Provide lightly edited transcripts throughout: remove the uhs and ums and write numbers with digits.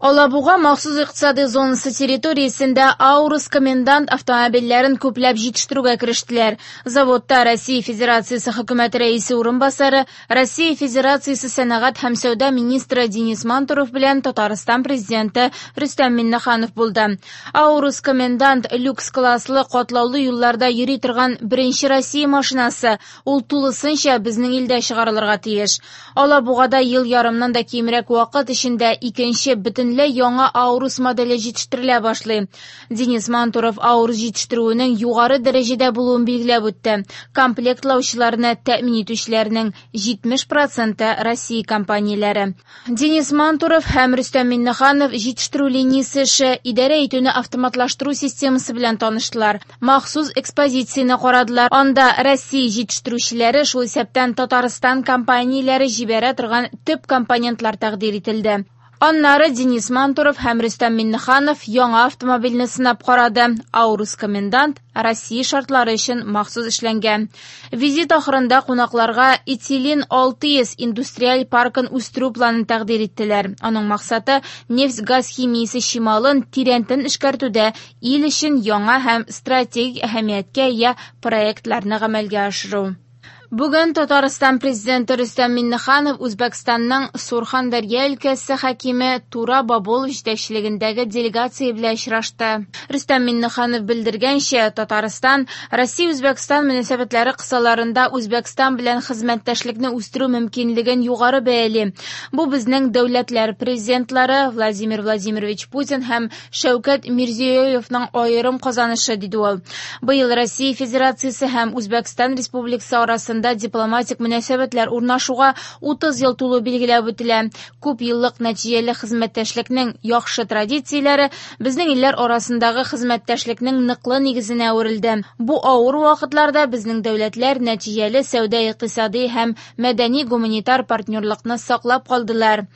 Алабуга махсус икътисади зонасы территориясендә «Аурус Комендант» автомобильләрен күпләп җитештерүгә керештеләр. Заводта Россия Федерациясе Хөкүмәте Рәисе урынбасары, Россия Федерациясе сәнәгать һәм сәүдә министры Денис Мантуров белән Татарстан Президенты Рөстәм Миңнеханов булды. «Аурус Комендант» люкс класслы катлаулы юлларда йөри торган беренче Россия машинасы, ул тулысынча безнең илдә чыгарылырга тиеш. Алабугада ел ярымнан да кимрәк вакыт эчендә икенче бөтенләй яңа «Аурус» моделе җитештерелә башлый. Денис Мантуров «Аурус» җитештерүенең югары дәрәҗәдә булуын билгеләп үтте. Комплектлаучыларны тәэмин итүчеләрнең 70 проценты Россия компанияләре. Денис Мантуров һәм Рөстәм Миңнеханов җитештерү линиясе эше, идарә итүне автоматлаштыру системасы белән таныштылар. Махсус экспозицияне карадылар. Анда Россия җитештерүчеләре, шул исәптән Татарстан компанияләре җибәрә торган төп компонентлар тәкъдир ителде. Аннары Денис Мантуров һәм Рөстәм Миңнеханов яңа автомобильне сынап карады. «Аурус Комендант» Россия шартлары өчен махсус эшләнгән. Визит ахырында кунакларга Этилин 600 индустриаль паркын үстерү планын тәкъдир иттеләр. Аның максаты нефть-газ химиясе чималын тирәнтен эшкәртүдә ил өчен яңа һәм стратегик әһәмияткә ия проектларны гамәлгә ашыру. Бүген Татарстан Президенты Рөстәм Миңнеханов Үзбәкстанның Сурхандарья өлкәсе хакиме Тура Бобулов җитәкчелегендәге делегация белән очрашты. Рөстәм Миңнеханов белдергәнчә, Татарстан Россия-Үзбәкстан мөнәсәбәтләре кысаларында Үзбәкстан белән хезмәттәшлекне үстерү мөмкинлеген югары бәяли. Бу безнең дәүләтләр президентлары Владимир Владимирович Путин һәм Шәүкәт Мирзиёевның аерым казанышы, диде ул. Быел Россия Федерациясе һәм Үзбәкстан Республикасы арасында дипломатик мөнәсәбәтләр урнашуга 30 ел тулу билгеләп үтелә. Күп еллык нәтиҗәле хезмәттәшлекнең яхшы традицияләре безнең илләр арасындагы хезмәттәшлекнең ныклы нигезенә әверелде. Бу авыр вакытларда безнең дәүләтләр нәтиҗәле сәүдә-икътисади һәм мәдәни-гуманитар партнерлыкны саклап калдылар.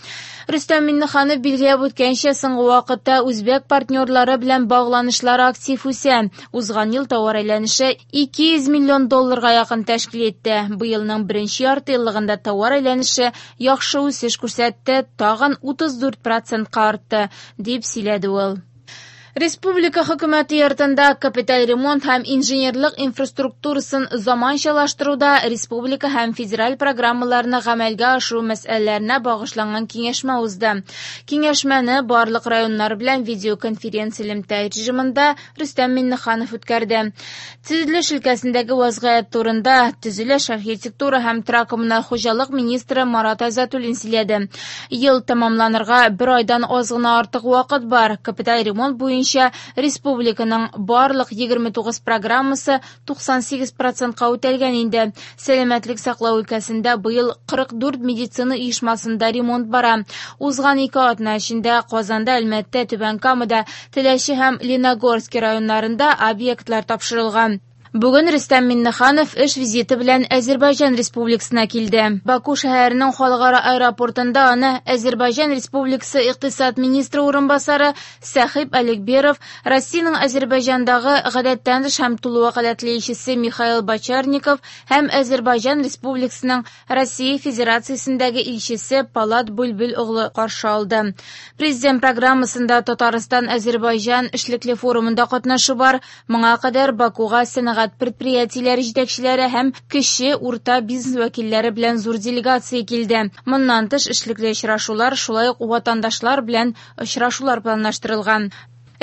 Рөстәм Миңнеханов билгеләп үткәнчә, соңгы вакытта үзбәк партнерлары белән багланышлар актив үсә. Узган ел товар әйләнеше 200 миллион долларга якын тәшкил итте. Быелның беренче ярты еллыгында товар әйләнеше яхшы үсеш күрсәтте, тагын 34 процентка артты, дип сөйләде ул. Республика хөкүмәте йортында капиталь ремонт һәм инженерлык инфраструктурасын заманчалаштыруда республика һәм федераль программаларны гамәлгә ашыру мәсьәләләренә багышланган киңәшмә узды. Киңәшмәне барлык районнар белән видеоконференция элемтә режимында Рөстәм Миңнеханов үткәрде. Төзелеш өлкәсендәге вазгыять турында төзелеш, архитектура һәм торак-коммуналь хуҗалык министры Марат Айзатуллин сөйләде. Ел тәмамланырга бер айдан аз гына артык вакыт бар. Капиталь ремонт буенча республиканың барлык 29 программасы 98 процентка үтәлгән инде. Сәламәтлек саклау өлкәсендә быел 44 медицина оешмасында ремонт бара. Узган ике атна эчендә Казанда, Әлмәттә, Түбән Камада, Теләче һәм Леногорский районнарында объектлар тапшырылган. Бүген Рөстәм Миңнеханов эш визиты белән Әзербайҗан Республикасына килде. Баку шәһәренең халыкара аэропортында аны Әзербайҗан Республикасы икътисад министры урынбасары Сәхиб Алекберов, Россиянең Әзербайҗандагы гадәттән тыш һәм тулы вәкаләтле илчесе Михаил Бочарников һәм Әзербайҗан Республикасының Россия Федерациясендәге илчесе Палат Бүлбүл оглы каршы алды. Президент программасында Татарстан-Әзербайҗан эшлекле форумында катнашу бар. Моңа кадәр Бакуга сәнәгать предприятиеләре җитәкчеләре һәм кече урта бизнес вәкилләре белән зур делегация килде. Моннан тыш эшлекле очрашулар, шулай ук ватандашлар белән очрашулар планлаштырылган.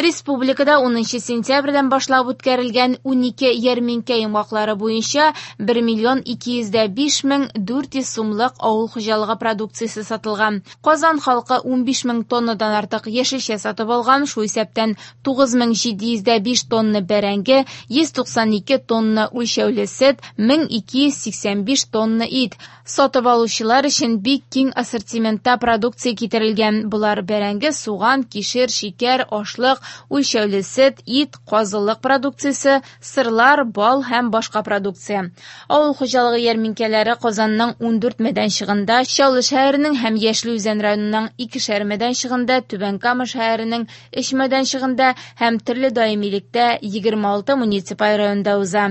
Республикада 10 сентябрьдән башлап үткәрелгән 12 ярминкә йомгаклары буенча 1 миллион 205 мең 400 сумлык авыл хуҗалыгы продукциясе сатылган. Казан халкы 15 мең тоннадан артык яшелчә сатып алган, шул исәптән 9705 тонна бәрәңге, 192 тонна үлчәүле сөт, 1285 тонна ит. Сатып алучылар өчен бик киң ассортиментта продукция китерелгән. Болар бәрәңге, суган, кишер, шикәр, ашлык, үлчәүле сөт, ит, казылык продукциясе, сырлар, бал һәм башка продукция. Авыл хуҗалыгы ярминкәләре Казанның 14 мәйданчыгында, Чаллы шәһәренең һәм Яшел Үзән районының икешәр мәйданчыгында, Түбән Кама шәһәренең 3 мәйданчыгында һәм төрле даимилектә 26 муниципаль районда уза.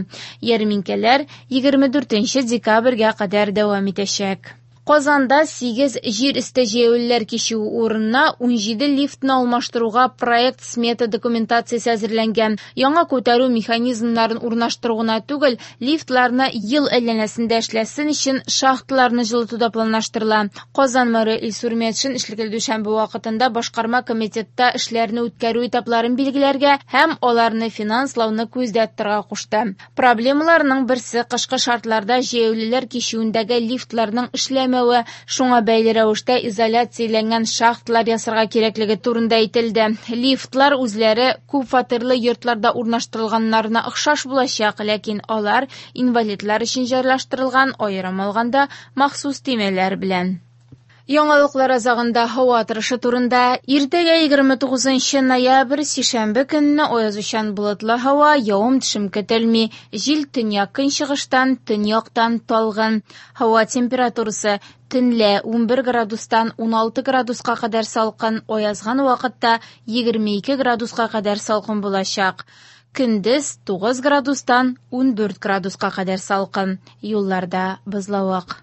Ярминкәләр 24 декабрьгә кадәр дәвам итәчәк. Казанда 8 җир өсте җәяүлеләр кичүе урынына 17 лифтны алмаштыруга проект-смета документациясе әзерләнгән. Яңа күтәрү механизмнарын урнаштыру гына түгел, лифтларны ел әйләнәсендә эшләсен өчен шахталарны җылыту да планлаштырыла. Казан мэры Илсур Метшин эшлекле дүшәмбе вакытында башкарма комитетта эшләрне үткәрү этапларын билгеләргә һәм аларны финанслауны күздә тотарга кушты. Проблемаларның берсе кышкы шартларда җәяүлеләр кичүендәге лифтларның эшләмәве, шуңа бәйле рәвештә изоляцияләнгән шахталар ясарга кирәклеге турында әйтелде. Лифтлар үзләре күпфатирлы йортларда урнаштырылганнарына охшаш булачак, ләкин алар инвалидлар өчен җайлаштырылган, аерым алганда, махсус төймәләр белән. Яңалыклар азагында һава торышы турында. Иртәгә 29 ноябрь, сишәмбе көнне аязучан болытлы һава, явым-төшем көтелми. Җил төньяк-көнчыгыштан, төньяктан талгын. Һава температурасы төнлә 11 градустан 16 градуска кадәр салкын, аязган вакытта 22 градуска кадәр салкын булачак. Көндез 9 градустан 14 градуска кадәр салкын. Юлларда бозлавык.